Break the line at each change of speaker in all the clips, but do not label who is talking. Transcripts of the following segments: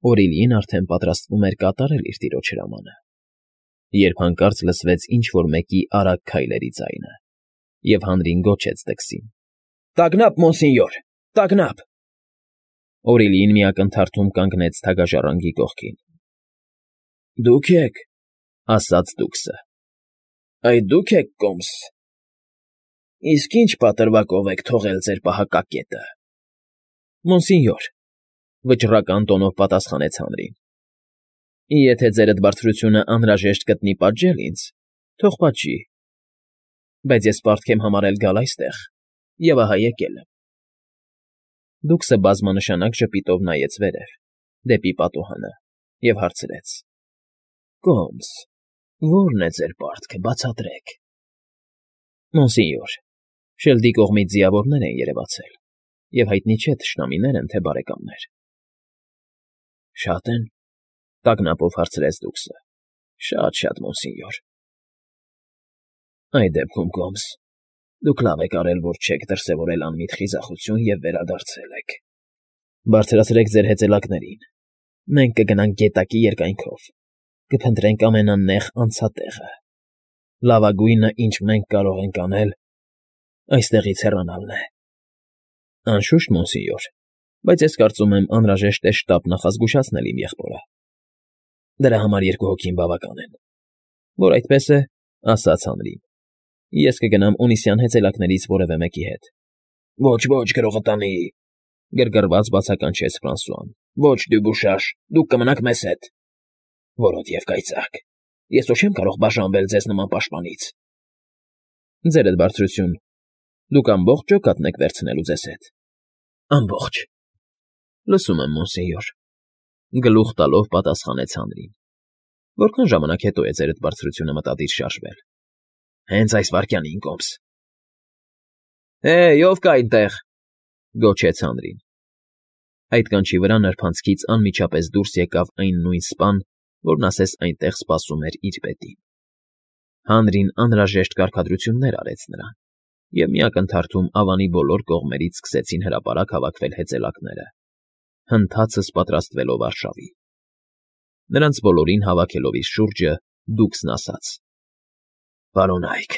Օրիլին արդեն պատրաստվում էր կատարել իր տիրոջ հրամանը, երբ հանկարծ լսվեց ինչ֊որ մեկի արագ քայլերի ձայնը, և հանրին գոչեց դքսին. ֊ Մոնսինյոր, տագնապ… Օրիլիին մի ակնթարթում կանգնեց թագաժառանգի կողքին։ ֊ Դուք եք,֊ ասաց դուքսը։ ֊ Այդ դու՞ք եք, կոմս… Իսկ ի՞նչ պատրվակով եք թողել ձեր պահակակետը։ ֊ Մոնսինյոր,֊ վճռական տոնով պատասխանեց հանրին,֊ եթե ձերդ բարձրությունը անհրաժեշտ գտնի պատժել ինձ, թող պատժի, բայց ես պարտք եմ համարել գալ այստեղ և ահա եկել եմ։ Դուքսը բազմանշանակ ժպիտով նայեց վերև, դեպի պատուհանը, և հարցրեց. ֊ Կոմս, ո՞րն է ձեր պարտքը, բացատրեք։ ֊ Մոնսինյոր, շելդի կողմից ձիավորներ են երևացել, և հայտնի չէ թշնամիներ են, թե բարեկամներ։ ֊ Շա՞տ են,֊ տագնապով հարցրեց դուքսը։ ֊ Շատ, մոնսինյոր։ ֊ Այդ դեպքում, կոմս, դուք լավ եք արել, որ չեք դրսևորել անմիտ խիզախություն և վերադարձել եք։ Բարձրացրեք ձեր հեծելակներին, մենք կգնանք գետակի երկայնքով, կփնտրենք ամենանեղ անցատեղը։ Լավագույնը, ինչ մենք կարող ենք անել, այստեղից հեռանալն է։ ֊ Անշուշտ, մոնսինյոր, բայց ես կարծում եմ, անհրաժեշտ է շտապ նախազգուշացնել իմ եղբորը։ ֊ Դրա համար 2 հոգին բավական են։ ֊ Որ այդպես է, ասաց հանրին, ես կգնամ ունիսյան հեծելակներից որևէ մեկի հետ։ ֊ Ոչ, գրողը տանի,֊ գրգռված բացականչեց Ֆրանսուան,֊ ոչ, Դյուբուշաշ, դուք կմնաք մեզ հետ։ ֊ Որոտ և կայծակ, ես ոչ չեմ կարող բաժանվել ձեզ նման պաշտպանից։ ֊ Ձերդ բարձրություն, դուք ամբողջ ջոկատն եք վերցնելու ձեզ հետ։ ֊ Ամբողջ… ֊ Լսում եմ, մոնսինյոր,֊ գլուխ տալով պատասխանեց հանրին։ ֊ Որքան ժամանակ հետո է ձերդ բարձրությունը մտադիր շարժվել։ ֊ Հենց այս վայրկյանին, կոմս։ ֊ Հե՜յ, ո՞վ կա այնտեղ,֊ գոչեց հանրին։ Այդ կանչի վրա նրբանցքից անմիջապես դուրս եկավ այն նույն սպան, որն ասես այնտեղ սպասում էր իր պետին։ Հանրին անհրաժեշտ կարգադրություններ արեց նրան, և մի ակնթարթում ավանի բոլոր կողմերից սկսեցին հրապարակ հավաքվել հեծելակները, հնդհացս պատրաստվելով արշավի։ Նրանց բոլորին հավաքելով իր շուրջը՝ դուքսն ասաց. ֊ Պարոնա՛յք,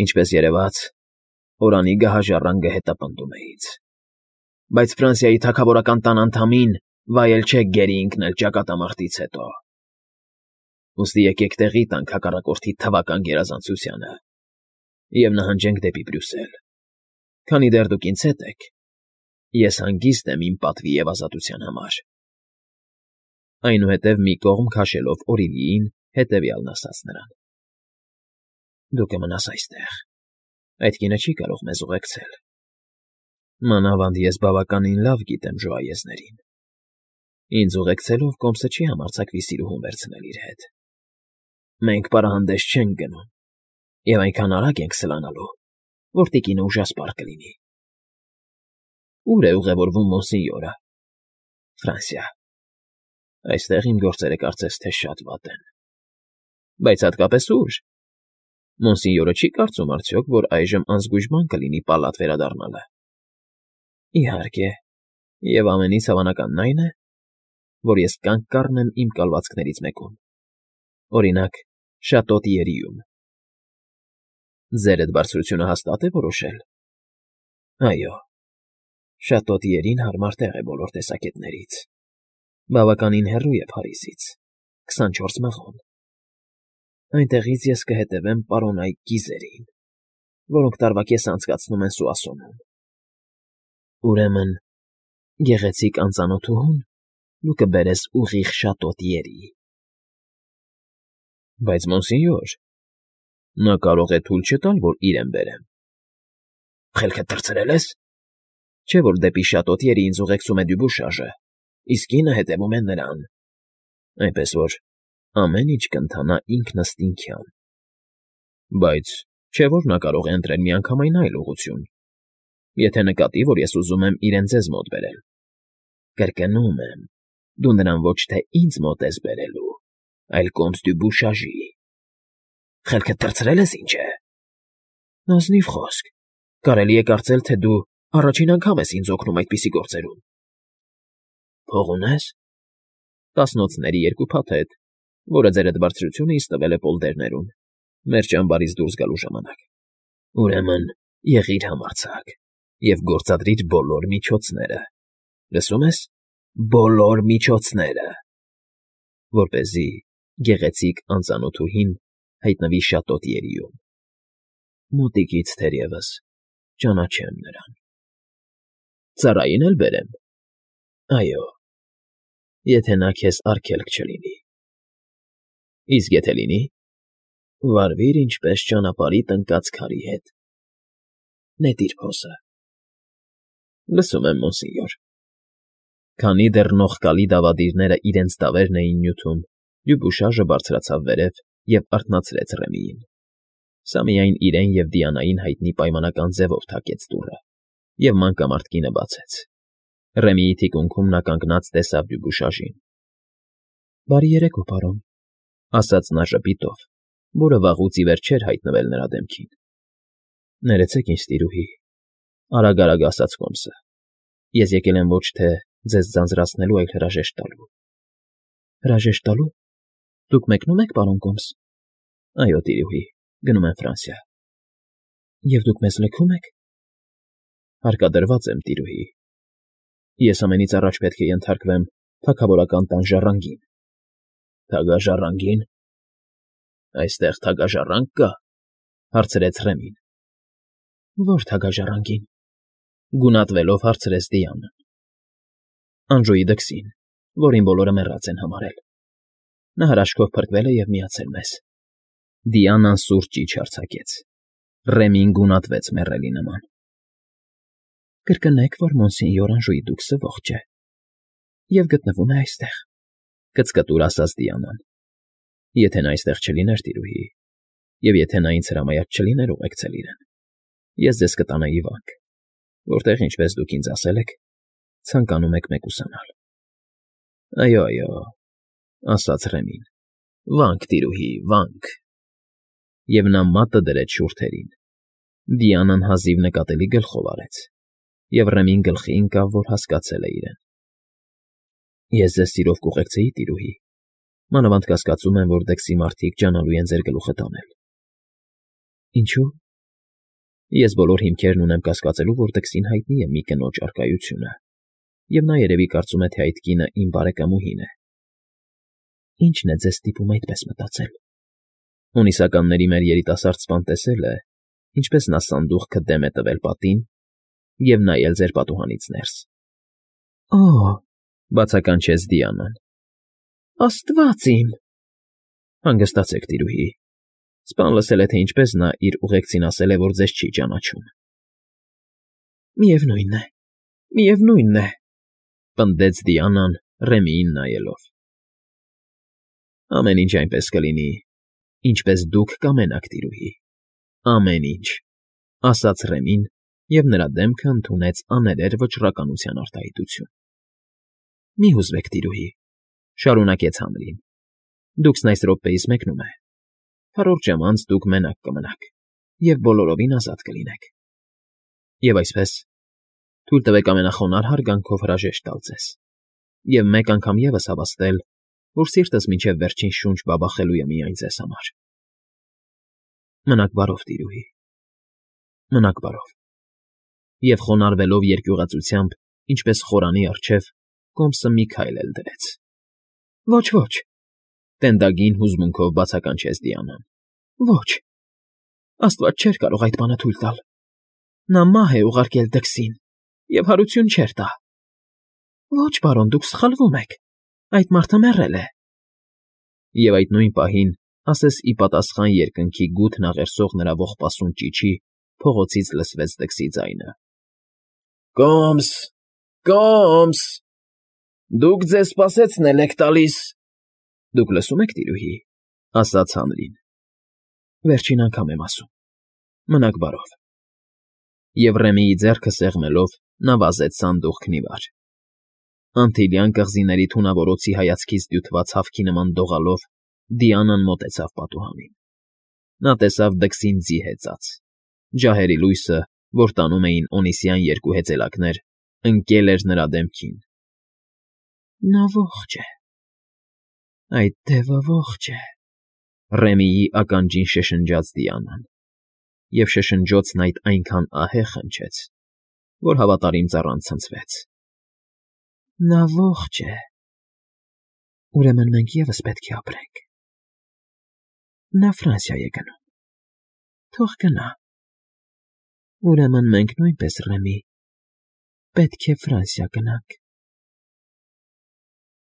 ինչպես երևաց, Օրանի գահաժառանգը հետապնդում է ինձ, բայց Ֆրանսիայի թագավորական տան անդամին վայել չէ գերի ընկնել ճակատամարտից հետո։ Ուստի եկեք տեղի տանք հակառակորդի թվական գերազանցությանը և նահանջենք դեպի Բրյուսել։ Քանի դեռ դուք ինձ հետ եք, ես հանգիստ եմ իմ պատվի և ազատության համար։ Այնուհետև մի կողմ քաշելով Օրիլիին հետևյալն ասաց նրան. ֊ Դու կմնաս այստեղ, այդ կինը չի կարող մեզ ուղեկցել։ Մանավանդ ես բավականին լավ գիտեմ ժոայեզներին. ինձ ուղեկցելով կոմսը չի համարձակվի սիրուհուն վերցնել իր հետ։ Մենք պարահանդես չենք գնում և այնքան արագ ենք սլանալու, որ տիկինը ուժասպառ կլինի։ ֊ Ո՞ւր է ուղևորվում մոնսինյորը։ ֊ Ֆրանսիա։ Այստեղ իմ գործերը կարծես թե շատ վատ են։ ֊ Բայց հատկապես ո՞ւր։ Մոնսինյորը չի կարծում արդյոք, որ այժմ անզգույշ բան կլինի պալատ վերադառնալը։ ֊ Իհարկե, և ամենից հավանականն այն է, որ ես կանգ կառնեմ իմ կալվածքներից մեկում, օրինակ, Շատո Տիերիում։ ֊ Ձերդ բարձրությունը հաստա՞տ է որոշել։ ֊ Այո, Շատո Տիերին հարմար տեղ է բոլոր տեսակետներից, բավականին հեռու է Փարիզից, 24 մղոն։ Այնտեղից ես կհետևեմ պարոնայի կիզերին, որոնք տարվա կեսն անցկացնում են Սուասոնում։ Ուրեմն, գեղեցիկ անծանոթուհուն դու կբերես ուղիղ Շատո Տիերի։ ֊ Բայց, մոնսինյոր, նա կարող է թույլ չտալ, որ իրեն բերեմ։ ֊ Խելքդ թռցրել ես։ Չէ՞ որ դեպի Շատո Տիերի ինձ ուղեկցում է Դյուբուշաժը, իսկ կինը հետևում է նրան, այնպես որ ամեն ինչ կընթանա ինքնըստինքյան։ ֊ Բայց չէ՞ որ նա կարող է ընտրել միանգամայն այլ ուղղություն, եթե նկատի, որ ես ուզում եմ իրեն ձեզ մոտ բերել։ ֊ Կրկնում եմ, դու նրան ոչ թե ինձ մոտ ես բերելու, այլ կոմս Դյուբուշաժի։ ֊ Խելքդ թռցրել ես, ինչ է։ ֊ Ազնիվ խոսք, կարելի է կարծել, թե դու առաջին անգամ ես ինձ օգնում այդպիսի գործերում։ ֊ Փող ունե՞ս։ տասնոցների երկու փաթեթ, որը ձերդ բարձրությունը ինձ տվել է պոլդերներում, մեր ճամբարից դուրս գալու ժամանակ։ Ուրեմն եղիր համարձակ և գործադրիր բոլոր միջոցները, լսում ես, բոլոր միջոցները, որպեսզի գեղեցիկ անծանոթուհին հայտնվի շատոտ երիում։ Մոտիկից թերևս ճանաչեմ նրան։ Ծառային էլ բերեմ։ Այո, եթե նա քեզ արգելք չլինի։ Իսկ եթե լինի, վարվիր ինչպես ճանապարհիդ ընկած քարի հետ։ Նետիր փոսը։ Լսում եմ, մոնսենյոր։ Քանի դեռ նողկալի դավադիրները իրենց դավերն էին նյութում, Դյուբուշաժը բարձրացավ վերև և արթնացրեց Ռեմիին։ Սա միայն իրեն և Դիանային հայտնի պայմանական ձևով թակեց դուռը, և մանկամարտ կինը բացեց։ Ռեմիի թիկունքում նա կանգնած տեսավ Դյուբուշաժին։ Բարի երեկո, պարոն, ասաց նա ժպիտով, որը վաղուց ի վեր չէր հայտնվել նրա դեմքին։ Ներեցեք ինձ, տիրուհի, արագ ասաց Կոմսը։ Ես եկել եմ ոչ թե ձեզ ձանձրացնելու, այլ հրաժեշտ տալու։ Հրաժեշտ տալու։ Դուք մեկնո՞ւմ եք, պարոն Կոմս։ Այո, տիրուհի, գնում եմ Ֆրանսիա։ Եվ դուք մեզ լքում եք։ Հարկադրված եմ, տիրուհի։ Ես ամենից առաջ պետք է ենթարկվեմ թագավորական տան ժառանգին։ Թագաժառանգին։ Այստեղ թագաժառանգ կա, հարցրեց Ռեմին։ Ո՞ր թագաժառանգին։ Գունատվելով հարցրեց Դիանան։ Անժոյի դքսին, որին բոլորը մեռած են համարել։ Նա հրաշքով փրկվել է և միացել մեզ։ Դիանան սուր ճիչ արձակեց։ Ռեմին գունատվեց մեռելի նման։ Կրկնեք, որ մոնսենյոր Անժոյի դուքսը ողջ է և գտնվում է այստեղ, կծկտուր ասաց Դիանան։ Եթե նա այստեղ չլիներ, տիրուհի, և եթե նա ինձ հրամայած չլիներ ուղեկցել իրեն, ես ձեզ կտանեի վանք, որտեղ, ինչպես դուք ինձ ասել եք, ցանկանում եք մեկուսանալ։ Այո, ասաց Ռեմին, վանք, տիրուհի, վանք։ Եվ նա մատը դրեց շուրթերին։ Դիանան հազիվ նկատելի գլխով արեց, և Ռեմին գլխի ընկավ, որ հասկացել է իրեն։ Ես ձեզ սիրով կուղեկցեի, տիրուհի, մանավանդ կասկածում եմ, որ դքսի մարդիկ ջանալու են ձեր գլուխը տանել։ Ինչո՞ւ։ Ես բոլոր հիմքերն ունեմ կասկածելու, որ դքսին հայտնի է մի կնոջ առկայությունը, և նա երևի կարծում է, թե այդ կինը իմ բարեկամուհին է։ Ինչն է ձեզ ստիպում այդպես մտածել։ Հունիսականների մեր երիտասարդ սպան տեսել է, ինչպես նա սանդուղքը դեմ է տվել պատին և նայել ձեր պատուհանից ներս։ Օ՜, բացականչեց Դիանան։ Աստված իմ։ Հանգստացեք, տիրուհի։ Սպան լսել է, թե ինչպես նա իր ուղեկցին ասել է, որ ձեզ չի ճանաչում։ Միևնույն է, պնդեց Դիանան Ռեմիին նայելով։ Ամեն ինչ այնպես կլինի, ինչպես դուք կամենաք, տիրուհի, ամեն ինչ, ասաց Ռեմին, և նրա դեմքը ընդունեց աներեր վճռականության արտահայտություն։ Մի հուզվեք, տիրուհի, շարունակեց Հանրին։ Դուքսն այս րոպեիս մեկնում է։ Քառորդ ժամ անց դուք մենակ կմնաք և բոլորովին ազատ կլինեք։ Եվ այսպես, թույլ տվեք ամենախոնարհ հարգանքով հրաժեշտ տալ ձեզ և մեկ անգամ ևս հավաստել, որ սիրտս մինչև վերջին շունչ բաբախելու է միայն ձեզ համար։ Մնաք բարով, տիրուհի, մնաք բարով։ Եվ խոնարհվելով երկյուղածությամբ, ինչպես խորանի առջև, Կոմսը մի քայլ էլ դրեց։ Ոչ, տենդագին հուզմունքով բացականչեց Դիանան։ Ոչ, Աստված չէր կարող այդ բանը թույլ տալ։ Նա մահ է ուղարկել դքսին և հարություն չէր տա։ Ոչ, պարոն, դուք սխալվում եք։ Այդ մարդը մեռել է։ Եվ այդ նույն պահին, ասես ի պատասխան երկնքի գութն աղերսող նրա ողբասուն ճիչի, փողոցից լսվեց դքսի ձայնը. Կոմս, Կոմս, դուք ձեզ սպասեցնել եք տալիս։ Դուք լսում եք, տիրուհի, ասաց Հանրին։ Վերջին անգամ եմ ասում։ Մնաք բարով։ Եվ Ռեմիի ձեռքը սեղմելով, նա վազեց սանդուղքն ի վար։ Անտիլյան կղզիների թունավորոցի հայացքից դյութված հավքի նման դողալով Դիանան մոտեցավ պատուհանին։ Նա տեսավ դքսին ձի հեծած։ Ջահերի լույսը, որ տանում էին օնիսյան երկու հեծելակներ, ընկել էր նրա դեմքին։ Նա ողջ է, Այդ դևը ողջ է,֊ Ռեմիի ականջին շշնջաց Դիանան, և շշնջոցն այդ այնքան ահեղ հնչեց, որ հավատարիմ ծառան ցնցվեց։֊ Նա ողջ է… Ուրեմն մենք ևս պետք է ապրենք… Նա Ֆրանսիա է գնում… Թող գնա… Ուրեմն մենք նույնպես, Ռեմի, պետք է Ֆրանսիա գնանք։